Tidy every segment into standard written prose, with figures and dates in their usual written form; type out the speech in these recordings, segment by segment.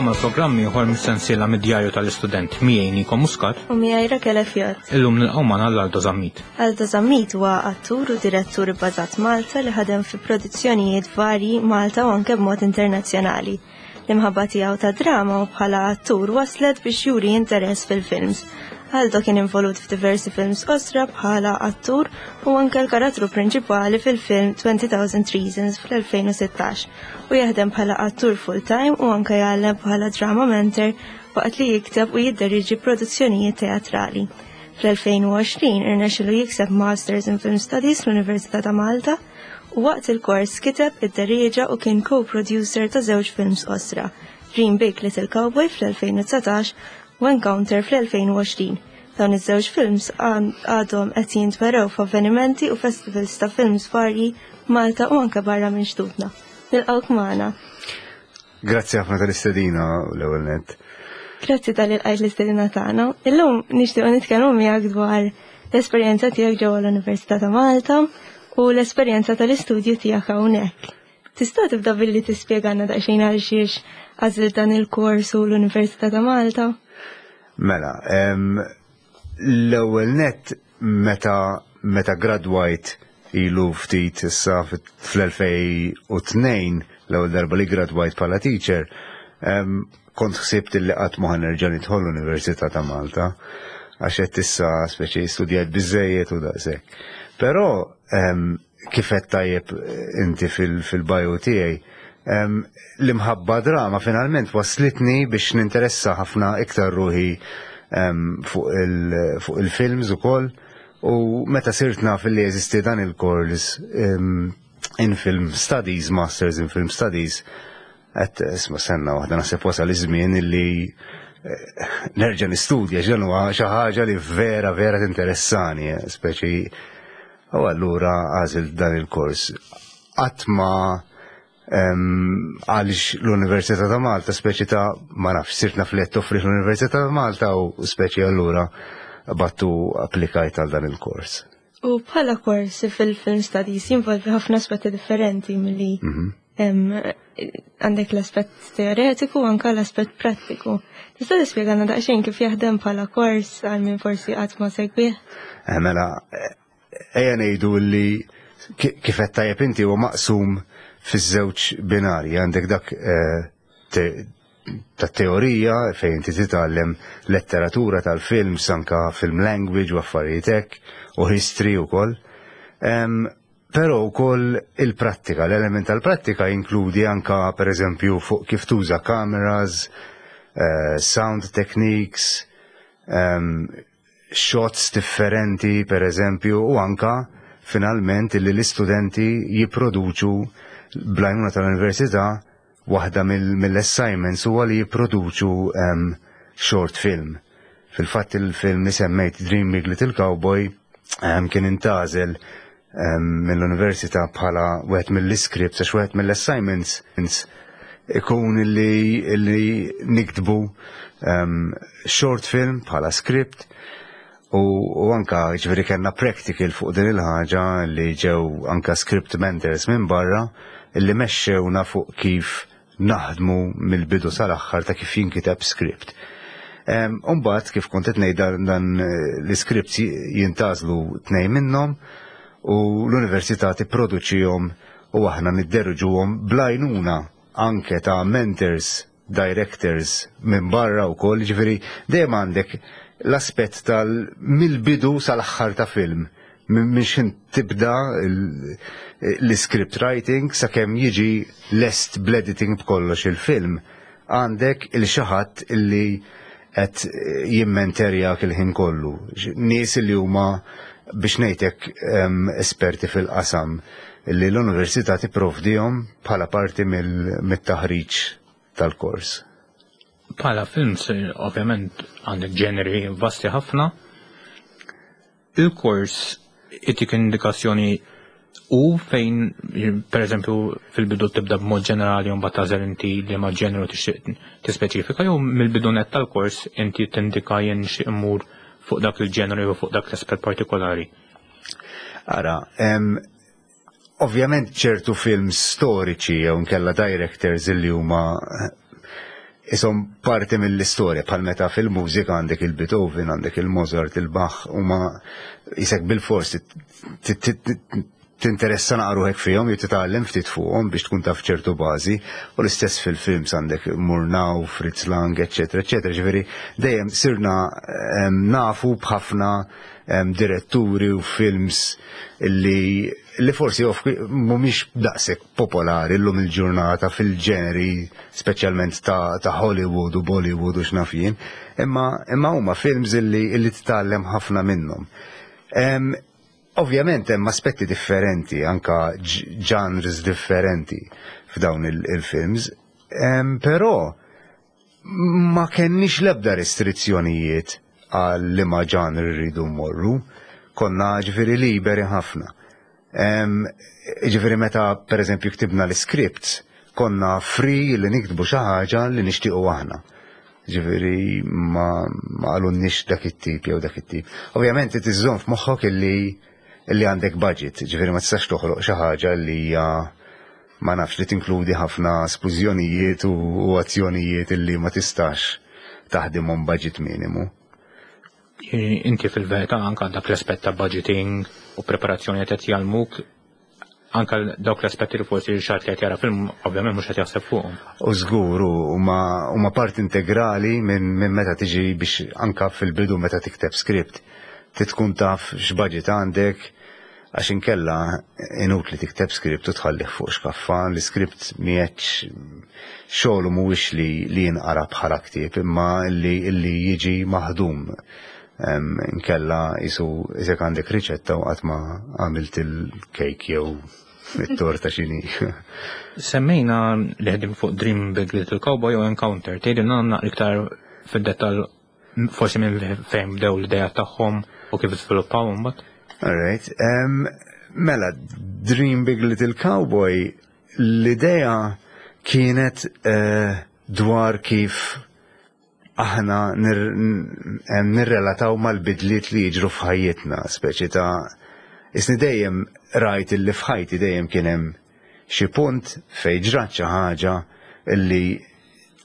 Nilqgħukom għal programm ieħor mis-sensiela mid-djarju tal-istudent miegħi Niko Muscat. U miegħi Rakele Fjot. Illum nilqgħu magħna l-Aldo Zammit. Aldo Zammit huwa attur u direttur ibbażat Malta li ħadem fi produzzjonijiet varji Malta u anke b'mod internazzjonali. L-imħabba tiegħu ta' drama u bħala attur waslet biex juri interess fil-films. Aldo kien involut f'diversi films osra bħala attur u anke l-karattru prinċipali fil-film 20,000 Reasons fl-2016 u jaħdem bħala attur full-time u anke jgħallem bħala drama mentor waqt li jikteb u jidderieġi produzzjonijiet teatrali. Fl-2020 irnexxilu jikseb Masters in Film Studies fl-Università ta' Malta u waqt il-kors kiteb, idderieġa u kien co-producer ta' żewġ films qosra, Dream Big Little Cowboy fl-2019 u Encounter fl-2020. Dawn iż-żewġ films għadhom qed jintwerew f'avvenimenti u festivals ta' films varji Malta u anke barra minn xtutna. Nilqgħuk magħna. Grazzi ħafna tal-istedina l-ewwel nett. Grazzi tal-li lqajt l-istedina tagħna. Illum nixtiequ nitkellmu miegħek dwar l-esperjenza tiegħek ġewwa l-Università ta' Malta u l-esperjenza tal-istudju tiegħek hawnhekk. Tista' tibda billi tispjegana daqsxejn għal xiex għażilt dan il-kors u l-Università ta' Malta? Mela, l-ewwel nett meta meta gradwajt ilu ftit issa fl-2002 l-ewwel darba li gradwajt bħala teacher, kont ħsibt li qatt ma nerġa' nidħol l-Università ta' Malta għax qed issa speċi studjajt biżejjed u daqshekk. Però kif qed tajjeb inti fil-bio tiegħi, l-imħabba drama finalment waslitni biex ninteressa ħafna iktar ruħi fuq il-films ukoll u meta sirt naf li jeżisti dan il-kors in Film Studies, Masters in Film Studies, għedt isma' senna waħda naħseb wasal iż-żmien illi nerġa' nistudja x'dan huwa xi ħaġa li vera vera tinteressani, speċi u allura għażilt dan il-kors. Qatt ma għaliex l-Università ta' Malta speċi ta' ma nafx sirt naf li qed toffri l-Università ta' Malta u speċi allura battu applikajt għal dan il-kors. U bħala kors fil-film studies jinvolvi ħafna aspetti differenti milli għandek l-aspett teoretiku u anka l-aspett prattiku. Tista' tispjegana daqsxejn kif jaħdem bħala kors għal min forsi qatt ma segwih? Mela, ejja ngħidu li kif qed tajjeb inti huwa maqsum fiż-żewġ binarji, għandek dak ta' teorija fejn inti titgħallem letteratura tal-films, anka film language u affarijiet hekk, u history ukoll. Però wkoll il-prattika, l-element tal-prattika jinkludi anka pereżempju fuq kif tuża cameras, sound techniques, shots differenti pereżempju u anka finalment illi l-istudenti jipproduċu bl-għajnuna tal-università waħda mill-assignments huwa li jipproduċu short film. Fil-fatt il-film li semmejt Dream Big Little Cowboy kien intgħażel mill-università bħala wieħed mill-iscripts għax wieħed mill-assignments ikun li, li niktbu short film bħala script u, u anka ġifieri kellna practical fuq din il-ħaġa li ġew anka script mentors minn barra li mexxewna fuq kif naħdmu mill-bidu sal-aħħar ta' kif jinkiteb script. Umbagħad kif kont qed ngħid dan l-iscripts jintgħażlu tnejn minnhom u l-università tipproduċihom u aħna nidderġuhom bl-għajnuna anke ta' mentors, directors minn barra wkoll, ġifieri dejjem għandek l-aspett tal mill-bidu sal-aħħar ta' film minn xin tibda l-script writing sakemm jiġi lest bl-editing b'kollox il-film. Għandek il xi ħadd illi qed jimmenterjak il-ħin kollu. Nies li huma biex ngħidlek esperti fil-qasam li l-università tipprovdihom bħala parti mit-taħriġ tal-kors. Bħala films, ovvjament, għandek ġeneri vasti ħafna. Il-kors itik indikazzjoni u fejn, per eżempju, fil-bidu tibda b'mod ġenerali u mbagħad tagħżel inti li ma ġeneru tixtieq tispeċifika jew mill-bidu net tal-kors inti tindika jien nixtieq immur fuq dak il-ġeneru jew fuq dak l-aspett partikolari. Ara, ovvjament ċertu films storiċi jew nkella directors li huma. Isom parti mill-istorja bħal meta fil-mużika għandek il-Beethoven, għandek il-Mozart, il-Bach, huma isek bil-fors tinteressa naqra ruħek fihom jew titgħallem ftit fuqhom biex tkun taf ċertu bażi, u l-istess fil-films għandek Murnau, Fritz Lang, eċetera, eċetera. Ġifieri dejjem sirna nafu b'ħafna diretturi u films li li forsi mhumiex daqshekk popolari llum il-ġurnata fil-ġeneri speċjalment ta' Hollywood u Bollywood u x'naf jien, imma huma films illi titgħallem ħafna minnhom. Ovvjament hemm aspetti differenti, anka genres differenti f'dawn il-films, però ma kenniex lebda restrizzjonijiet għal liema genre rridu mmorru, konna ġifieri liberi ħafna. Ġifieri meta per eżempju ktibna l-scripts, konna free li niktbu xi ħaġa li nixtiequ aħna. Ġifieri ma qalulniex dak it-tip jew dak it-tip. Ovvjament iżżomm f'moħħok illi għandek budget, ġifieri ma tistax toħloq xi ħaġa li hija, ma nafx, li tinkludi ħafna splużjonijiet u azzjonijiet illi ma tistax taħdimhom budget minimu. Inti fil-verità anka dak l-aspett ta' budgeting u preparazzjoni qed jgħallmuk anka dawk l-aspetti li forsi xi ħadd li qed jara film ovvjament mhux qed jaħseb fuqhom. U żgur huma part integrali minn meta tiġi biex anka fil-bidu meta tikteb script tkun taf x'budget għandek, għax inkella inutli tikteb script u tħallih fuq xkaffa. L-script mhijiex xogħlu, mhuwiex li jinqara bħala ktieb, imma li jiġi maħdum. Inkella jisu isek għandek riċetta u qatt ma għamilt il-kejk jew it-torta xini. Semmejna li ħdim fuq Dream Big Little Cowboy u Encounter. Tgħidilna naqra iktar fid-dettall forsi minn fejn bdew l-idea tagħhom u kif iżviluppaw imbagħad? Alright. Mela, Dream Big Little Cowboy, l-idea kienet dwar kif aħna nirrelataw mal-bidliet li jiġru f'ħajjitna, speċi ta' isni dejjem rajt illi f'ħajti dejjem kien hemm xi punt fejn ġrat xi ħaġa illi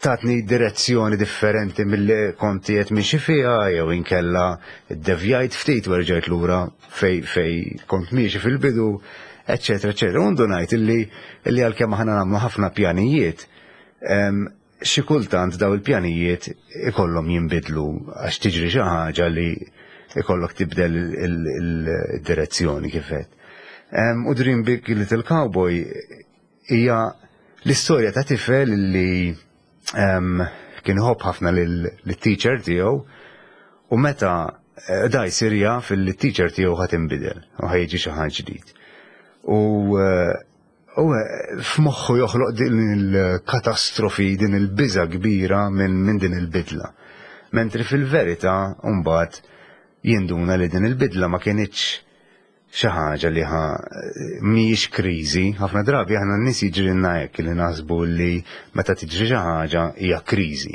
tatni direzzjoni differenti milli kont qed miexi fiha jew inkella ddevjajt ftit u rġajt lura fej kont miexi fil-bidu, eccetera, eccetera. U ndunajt illi għalkemm aħna nagħmlu ħafna pjanijiet, xi kultant daw il-pjanijiet ikollhom jinbidlu għax tiġri xi ħaġa li ikollok tibdel il-direzzjoni kif qed. U Dream Big Little Cowboy hija l-istorja ta' tifel li kien iħobb ħafna lill-teacher tiegħu u meta da jsir jaf il-teacher tiegħu ħa tinbidel u ħa jiġi xi ħadd ġdid. U f'moħħu joħloq din il-katastrofi, din il-biża kbira minn din il-bidla. Mentri fil-verità mbagħad jinduna li din il-bidla ma kinitx xi ħaġa li ħa mhijiex kriżi. Ħafna drabi aħna n-nies jiġrilna hekk li naħsbu li meta tiġri xi ħaġa hija kriżi.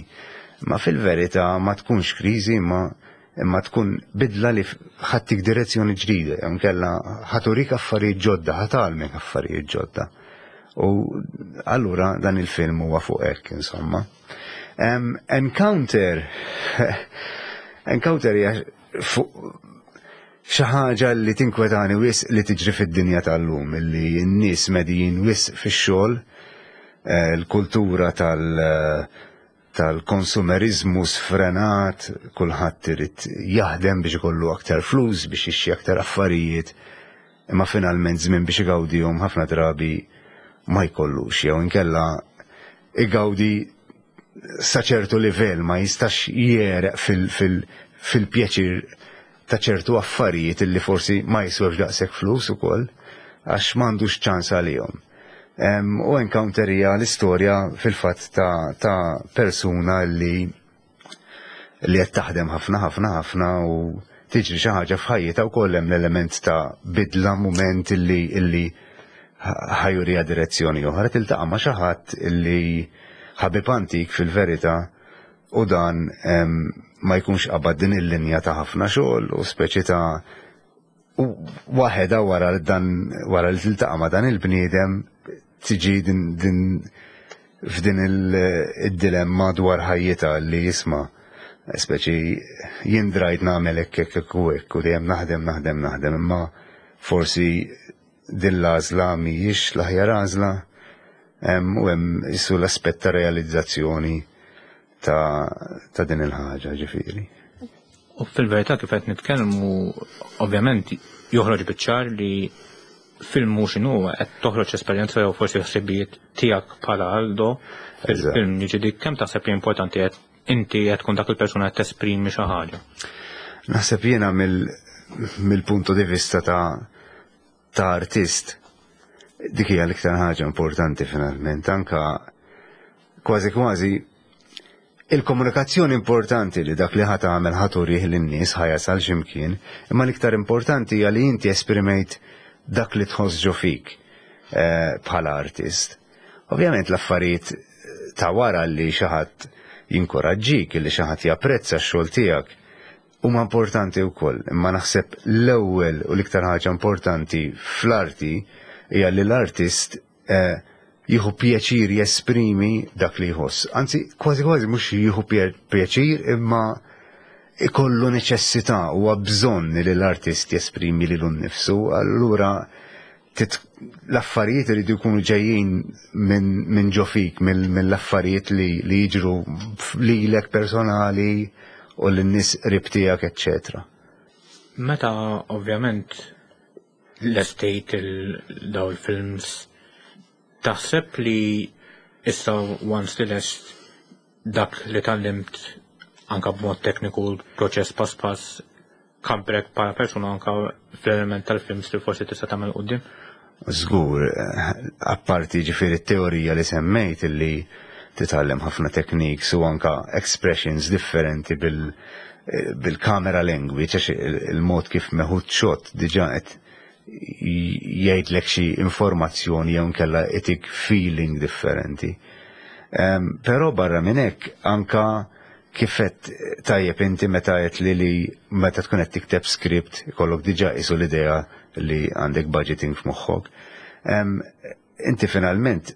Ma fil-verità ma tkunx kriżi, imma tkun bidla li ħa ttik direzzjoni ġdida, jew inkella ħa turik affarijiet ġodda, ħa tgħallmek affarijiet ġodda. U allura dan il-film huwa fuq hekk, insomma. Encounter hija fuq xi ħaġa li tinkwetani wisq li tiġri fid-dinja tal-lum, li n-nies medijin wisq fix-xogħol, l-kultura tal-konsumerizmu sfrenat, kulħadd irid jaħdem biex ikollu aktar flus, biex jixtri aktar affarijiet, imma finalment żmien biex igawdihom ħafna drabi ma jkollux, jew inkella igawdi sa ċertu livell, ma jistax jegħreq fil-pjaċir ta' ċertu affarijiet illi forsi ma jiswewx daqshekk flus ukoll għax m'għandux ċans għalihom. U Encounter hija l-istorja fil-fatt ta' persuna li qed taħdem ħafna ħafna ħafna u tiġri xi ħaġa f'ħajjitha wkoll hemm l-element ta' bidla, mument illi ħa juriha direzzjoni oħra, tiltaqa' ma' xi ħadd illi ħabib antik fil-verità u dan ma jkunx qabad din il-linja ta' ħafna xogħol u speċi ta' u waħedha wara dan wara li tiltaqa' ma' dan il-bniedem tiġi din. f'din il-dilemma dwar ħajjitha li jisma' speċi jien drajt nagħmel hekk hekk hekk u hekk u dejjem naħdem naħdem naħdem imma forsi din l-għażla mhijiex l-aħjar għażla u hemm isu l-aspett ta' realizzazzjoni ta' din il-ħaġa ġifieri. U fil-verità kif qed nitkellmu ovvjament joħroġ biċ-ċar li film mhux inhu qed toħroġ esperjenza jew forsi ħsibijiet tiegħek bħala Aldo fil-film jiġi kemm taħseb li importanti qed inti qed tkun dak il-persuna qed tesprimi xi ħaġa. Naħseb jiena mill-punto di vista ta' artist dik hija l-iktar ħaġa importanti finalment anka kważi kważi il-komunikazzjoni importanti li dak li ħa tagħmel ħa turih lin-nies ħa jasal x'imkien, imma l-iktar importanti hija li inti esprimejt dak li tħoss ġo fik eh, bħala artist. Ovvjament l-affarijiet ta' wara li xi ħadd jinkoraġġik, li xi ħadd japprezza x-xogħol tiegħek, huma importanti wkoll, imma naħseb l-ewwel u l-iktar ħaġa importanti fl-arti hija li l-artist eh, jieħu pjaċir jesprimi dak li jħoss. Anzi, kważi kważi mhux jieħu pjaċir imma ikollu neċessità u bżonn li l-artist jesprimi lilu nnifsu, allura l-affarijiet iridu jkunu ġejjin minn ġo fik, mill-affarijiet li jiġru lilek personali u lin-nies qrib tiegħek, eċċetera. Meta ovvjament lestejt daw il-films, taħseb li issa once li lest dak li tgħallimt anka b'mod tekniku proċess pass pass kabbrek bħala persuna anka fl-element tal-films li forsi tista' tagħmel quddiem? Żgur, apparti ġifieri t-teorija li semmejt illi titgħallem ħafna techniques u anka expressions differenti bil-camera language, għax il-mod kif meħud shot diġà qed jgħidlek xi informazzjoni jew inkella itik feeling differenti. Però barra minn hekk anka kif qed tajjeb inti meta qed li li meta tkun qed tikteb script ikollok diġà qisu l-idea li għandek budgeting f'moħħok. Inti finalment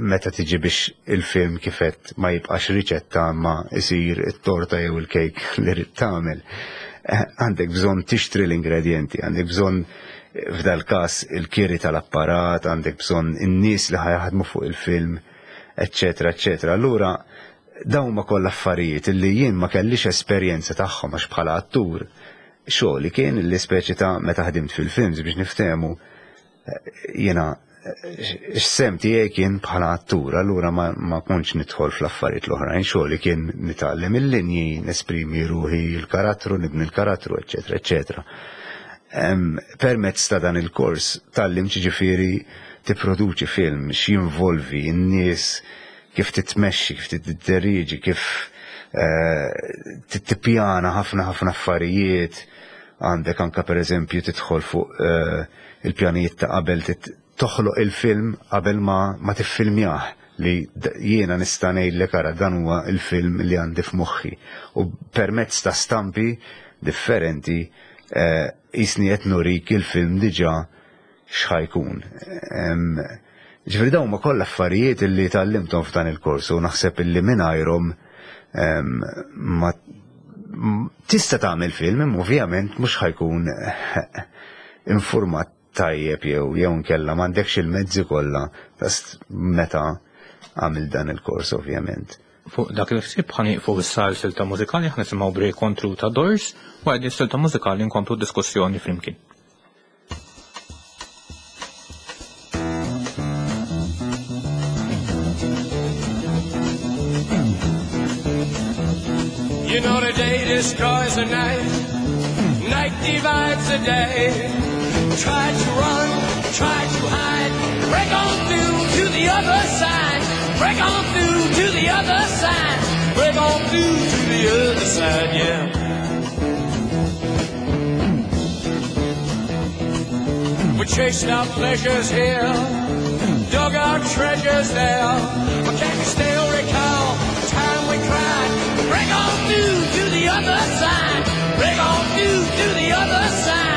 meta tiġi biex il-film kif qed ma jibqax riċetta ma isir it-torta jew il-kejk li rid tagħmel. Għandek bżonn tixtri l-ingredienti, għandek bżonn f'dal każ il-kiri tal-apparat, għandek bżonn in-nies li ħajaħdmu fuq il-film, eccetera, eccetera. Allura dawn ma kollha affarijiet li jien ma kellix esperjenza tagħhom għax bħala attur xogħli kien li speċi ta' meta ħdimt fil-films biex niftehmu jiena x-sem tiegħi kien bħala attur, allura ma, ma kontx nidħol fl-affarijiet l-oħrajn, xogħli kien nitgħallem il-linji, nesprimi ruħi l-karattru, nibni l-karattru, eċetera, eċetera. Permezz ta' dan il-kors tgħallimt ġifieri tipproduċi film, x'jinvolvi n-nies, kif titmexxi, kif tidderieġi, kif tippjana ħafna ħafna affarijiet, għandek anka per eżempju tidħol fuq il-pjanijiet ta' qabel toħloq il-film qabel ma tiffilmjah li jiena nista' ngħidlek ara dan huwa il-film li għandi f'moħħi. U permezz ta' stampi differenti jisni qed nurik il-film diġà x'ħajkun. Ġifieri dawn ma kollha affarijiet li tgħallimthom f'dan il-kors u naħseb illi mingħajrhom ma tista' tagħmel film imma ovvjament mhux ħajkun informat tajjeb jew jew nkella m'għandekx il-mezzi kollha meta għamil dan il-kors ovvjament. Fuq dak il-ħsieb ħa nieqfu issa għal silta mużikali, ħa nisimgħu Break On Through ta' Doors, wara din silta mużikali nkomplu d-diskussjoni flimkien. You know the day destroys the night, night divides the day. Try to run, try to hide, break on through to the other side, break on through to the other side, break on through to the other side, yeah. We chased our pleasures here, dug our treasures there, but can you still recall the time we cried? Break on through to the other side, break on through to the other side.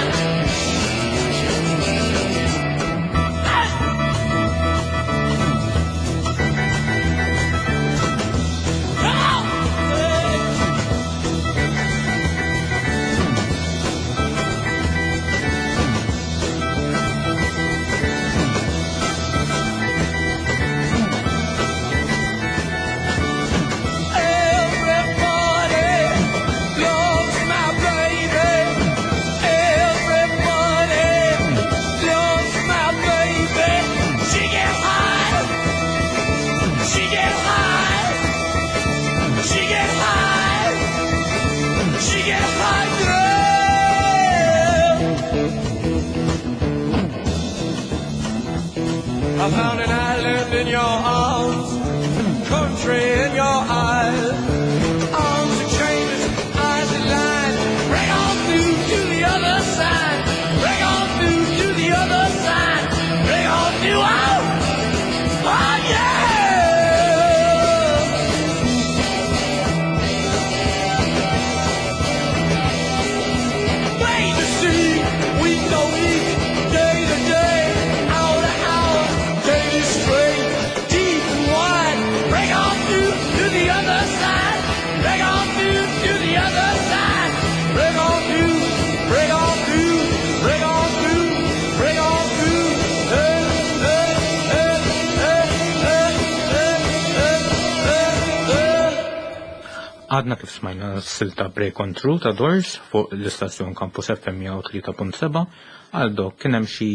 I found an island in your arms, country in your eyes. Arms are chains, eyes are lines. Break on through to the other side. Break on through to the other side. Break on through. Oh, oh yeah. Way to see, week to week, day to day, hour to hour, daily straight, deep and wide. Break on through to the other side. Break on through to the other side. Break on through, break on through, break on through, break on through. Hey, hey, hey, hey, hey, hey, hey, hey, hey. Għadna kif smajna silta Break on Through ta' Doors fuq l-istazzjon Campus FM 103.7. Aldo, kien hemm xi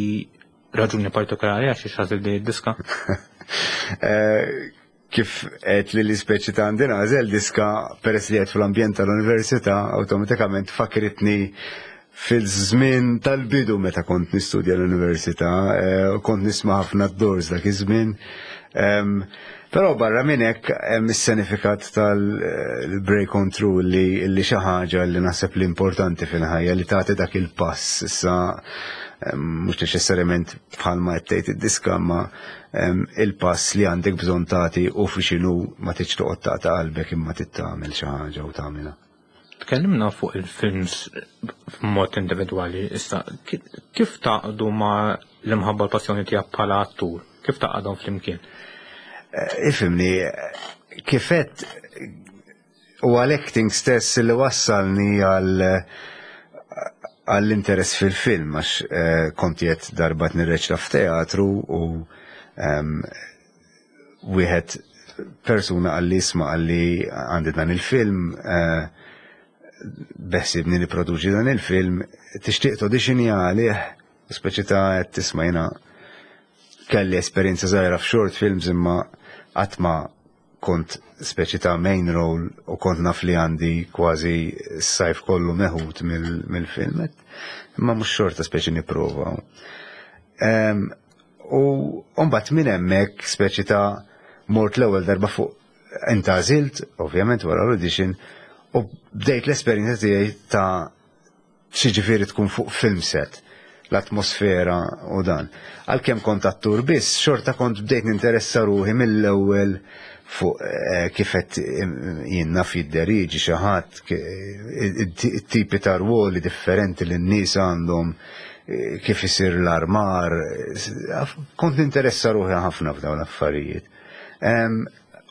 raġuni partikolari għax xażil di diska? Kif qed li l-ispeċi ta' għandi nagħżel diska peress li qed fl-ambjent tal-università, awtomatikament fakritni fil-żmien tal-bidu meta kont nistudja l-università, kont nisma' ħafna d-Doors dak iż-żmien. Però barra minn hekk hemm is-sinifikat tal-break on through li xi ħaġa li naħseb li importanti fil-ħajja li tagħti dak il-pass issa mhux neċessarjament bħalma qed tgħid id-diska, ma il-pass li għandek bżonn tagħti u fi x'inhu ma tridx toqgħod tagħta qalbek imma trid tagħmel xi ħaġa u tagħmilha. Tkellimna fuq il-films f'mod individwali, issa kif taqdu ma l-imħabba l-passjoni tiegħek bħala attur? Kif taqgħadhom flimkien? Ifhimni, kifet u għal-acting stess li wassalni għall-interess fil-film, għax kont jett darba nirreċta f'teatru u wieħed persuna għalli isma' għalli għandi dan il-film, beħsibni niproduċi dan il-film, tixtieq tauditionja għalih, speċi ta' qed tisma' jiena kelli esperjenza żgħira f'short films imma qatt ma kont speċi ta' main role u kont naf li għandi kważi s-sajf kollu meħud mill-film, imma mhux xorta speċi nipprova. U mbagħad minn hemmhekk speċi ta' mort l-ewwel darba fuq intgħażilt, ovvjament wara l-audition, u bdejt l-esperjenza tiegħi ta' xi ġifieri tkun fuq film set, l-atmosfera u dan. Għalkemm kont attur biss, xorta kont bdejt ninteressa ruħi mill-ewwel fuq kif qed jien naf jidderiġi xi ħadd, it-tipi ta' rwoli differenti li n-nies għandhom, kif isir l-armar, kont ninteressa ruħi ħafna f'dawn l-affarijiet.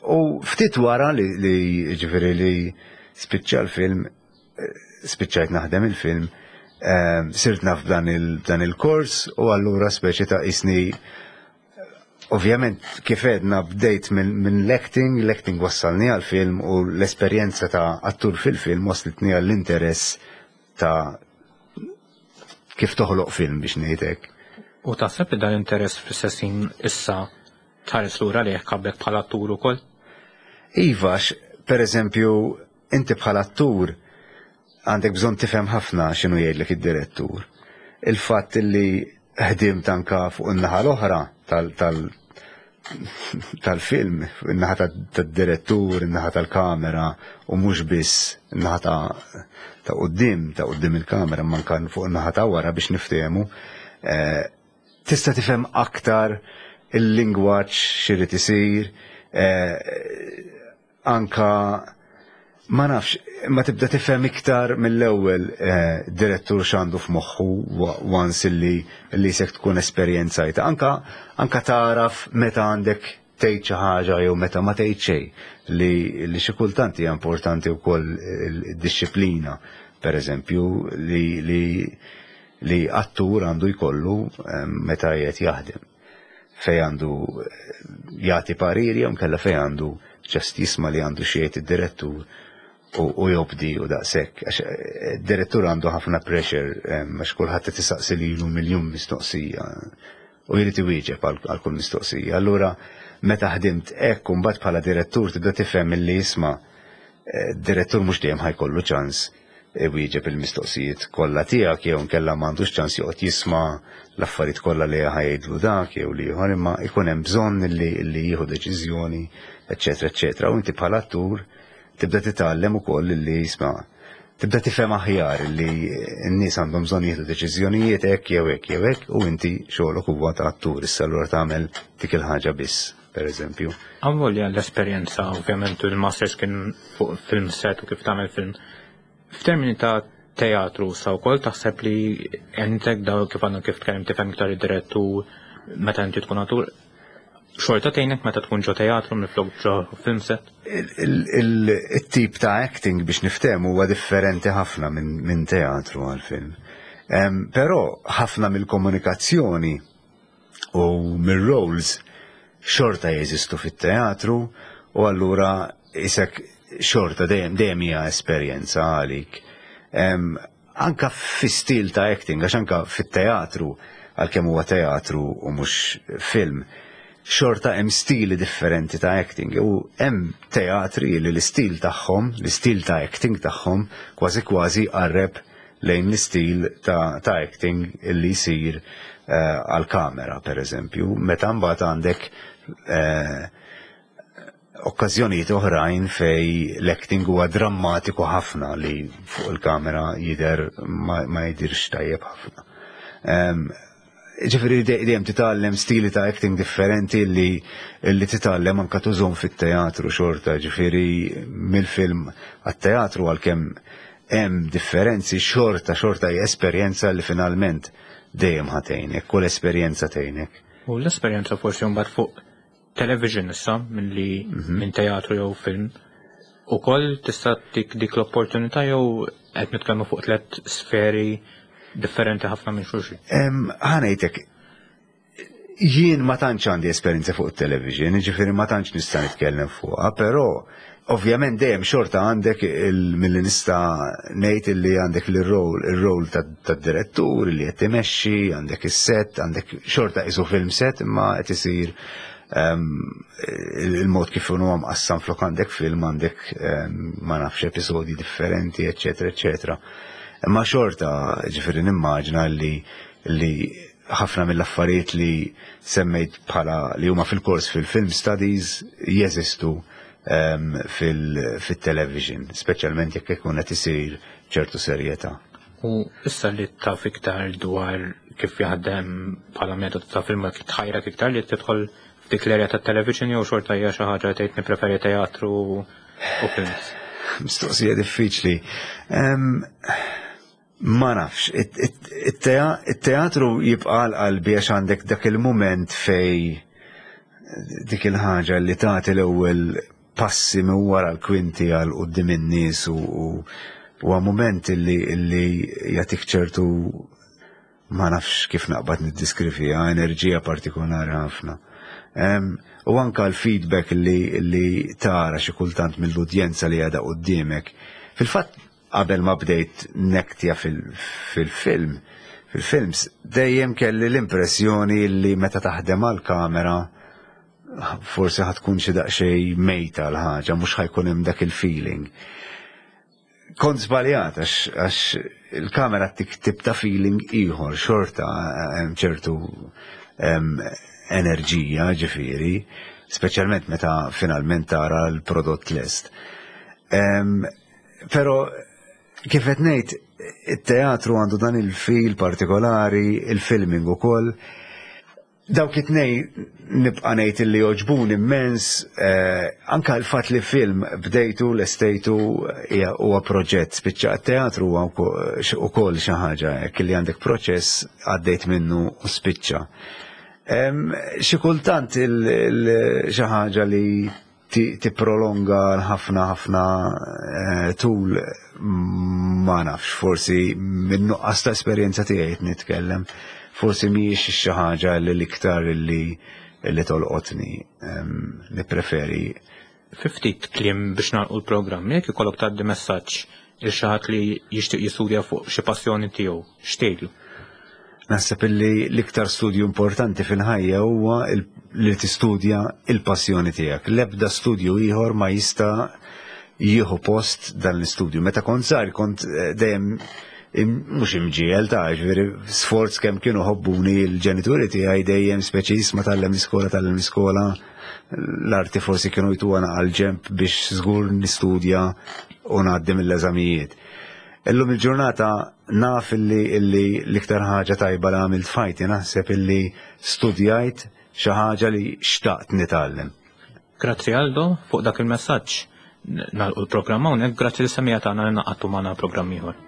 U ftit wara li ġifieri li spiċċa l-film, spiċċajt naħdem il-film, sirt naf b'dan il-kors u allura speċi ta' isni ovvjament kif edna bdejt minn l-acting, l-acting wassalni għal-film u l-esperjenza ta' attur fil-film waslitni għall-interess ta' kif toħloq film biex ngħidlek. U taħseb li dan l-interess fl-istess issa tħares lura li kabbek bħala attur ukoll? Iva, per eżempju, inti bħala attur għandek bżonn tifhem ħafna x'inhu jgħidlek id-direttur. Il-fatt li ħdimt anka fuq in-naħa l-oħra tal-film, in-naħa tad-direttur, in-naħa tal-kamera u mhux biss in-naħa ta' quddiem, ta' quddiem il-kamera, ma anka fuq in-naħa ta' wara biex niftehmu. Tista' tifhem aktar il-lingwaġġ x'irid isir, anka ma nafx, ma tibda tifhem iktar mill-ewwel direttur x'għandu f'moħħu once illi sek tkun esperjenzajta. Anka taraf meta għandek tgħid xi ħaġa jew meta ma tgħid xejn, li xi kultant hija importanti wkoll id-disciplina, per eżempju, li attur għandu jkollu meta qiegħed jaħdem. Fej għandu jagħti pariri jew nkella fej għandu ġast jisma' li għandu xi jgħid id-direttur u jobdi u daqshekk. Għax id-direttur għandu ħafna pressure, għax kulħadd qed isaqsi lilu miljun mistoqsija u jrid iwieġeb għal kull mistoqsija. Allura meta ħdimt hekk u mbagħad bħala direttur tibda tifhem milli jisma' direttur mhux dejjem ħajkollu ċans iwieġeb il-mistoqsijiet kollha tiegħek jew inkella m'għandux ċans joqgħod jisma' l-affarijiet kollha li ħa jgħidlu dak jew l-ieħor, imma jkun hemm bżonn li jieħu deċiżjoni, eċċetera, eċċetera. U inti bħala attur tibda titgħallem ukoll li jisma' tibda tifhem aħjar li n-nies għandhom bżonn jieħdu deċiżjonijiet hekk jew hekk jew hekk u inti xogħlok huwa ta' attur issa allura tagħmel dik il-ħaġa biss, per eżempju. Għamlu l-esperjenza ovvjament il-masters kien fuq film set u kif tagħmel film. F'termini ta' teatru sa wkoll taħseb li entek daw kif għandna kif tkellem tifhem iktar id-direttur meta inti tkun attur xorta tgħinek meta tkun ġo teatru minflok ġo film set? Il-tip ta' acting biex niftehmu huwa differenti ħafna minn teatru għal film. Però ħafna mill-komunikazzjoni u mir-roles xorta jeżistu fit-teatru u allura isek xorta dejjem dejjem hija esperjenza għalik. Anka fi stil ta' acting, għax anka fit-teatru, għalkemm huwa teatru u mhux film, xorta hemm stili differenti ta' acting u hemm teatri li l-istil tagħhom, l-istil ta' acting tagħhom kważi kważi qarreb lejn l-istil ta' acting li jsir għal-kamera, per eżempju, meta mbagħad għandek okkażjonijiet oħrajn fej l-acting huwa drammatiku ħafna li fuq il-kamera jidher ma jidirx tajjeb ħafna. Ġifieri dejjem titgħallem stili ta' acting differenti li titgħallem anka tużhom fit-teatru xorta, ġifieri mill-film għat-teatru għalkemm hemm differenzi xorta xorta hija esperjenza li finalment dejjem ħa tgħinek, kull esperjenza tgħinek. U l-esperjenza forsi mbagħad fuq television issa milli minn teatru jew film ukoll tista' tik dik l-opportunità jew qed nitkellmu fuq tliet sferi differenti ħafna minn xulxin? Ħa ngħidlek, jien ma tantx għandi esperjenza fuq television, ġifieri ma tantx nista' nitkellem fuqha, però ovvjament dejjem xorta għandek milli nista' ngħid li għandek il-role il-role tad-direttur li qed timexxi, għandek is-set, għandek xorta isu film set imma qed isir il-mod kif huwa mqassam flok għandek film għandek ma nafx episodji differenti, eċetera, eċetera. Imma xorta ġifieri nimmaġna li ħafna mill-affarijiet li semmejt bħala li huma fil-kors fil-film studies jeżistu fil-television, speċjalment jekk ikun qed isir ċertu serjetà. U issa li taf iktar dwar kif jaħdem bħala metodu ta' film tħajrak iktar li tidħol f'dik l-area ta' television jew xorta hija xi ħaġa tgħid nippreferi teatru u films? Mistoqsija diffiċli. Ma nafx, it-teatru jibqa' qalbi għax għandek dak il-moment fej dik il-ħaġa li tagħti l-ewwel passi minn wara l-kwinti għal quddiem in-nies u huwa moment li jagħtik ċertu, ma nafx kif naqbad niddeskriviha, enerġija partikolari ħafna. U anka l-feedback li tara xi kultant mill-udjenza li għadha quddiemek. Fil-fatt qabel ma bdejt nektja fil-film, fil-films, dejjem kelli l-impressjoni li meta taħdem għal-kamera forsi ħa tkun xi daqsxejn mejta l-ħaġa, mhux ħa jkun hemm dak il-feeling. Kont żbaljat għax il-kamera tip ta' feeling ieħor xorta hemm ċertu enerġija ġifieri, speċjalment meta finalment tara l-prodott lest. Però kif qed ngħid, it-teatru għandu dan il-feel partikolari, il-filming ukoll. Dawk it-tnej nibqa' ngħid li jogħġbuni immens, anka l-fatt li film bdejtu lestejtu huwa proġett, spiċċa t-teatru huwa ukoll xi ħaġa hekk li għandek proċess għaddejt minnu u spiċċa. Xi kultant xi ħaġa li tipprolonga ħafna ħafna tul, ma nafx, forsi minn nuqqas ta' esperjenza tiegħi nitkellem, forsi mhijiex xi ħaġa li l-iktar li tolqotni, nippreferi. Fi ftit kliem biex nagħlqu l-programm, jekk ikollok tgħaddi messaġġ il xi ħadd li jixtieq jistudja fuq xi passjoni tiegħu, x'tgħidlu? Naħseb illi l-iktar studju importanti fil-ħajja huwa li tistudja il-passjoni tiegħek. L-ebda studju ieħor ma jista' jieħu post dan l-istudju. Meta kont żgħir kont eh, dejjem mhux imġiegħel ta' ġifieri sforz kemm kienu ħobbuni l-ġenituri tiegħi dejjem speċi ma tgħallem l-iskola tgħallem l-iskola l-arti forsi kienu jtuha għal ġemp biex żgur nistudja u ngħaddi mill-eżamijiet. Illum il-ġurnata naf illi illi l-iktar ħaġa tajba li għamilt f'ħajti naħseb illi studjajt xi ħaġa li xtaqt nitgħallem. Grazzi Aldo fuq dak il-messaġġ. Nagħlqu l-programm hawnhekk grazzi lis-semmiegħa tagħna li ngħaqadtu magħna programm ieħor.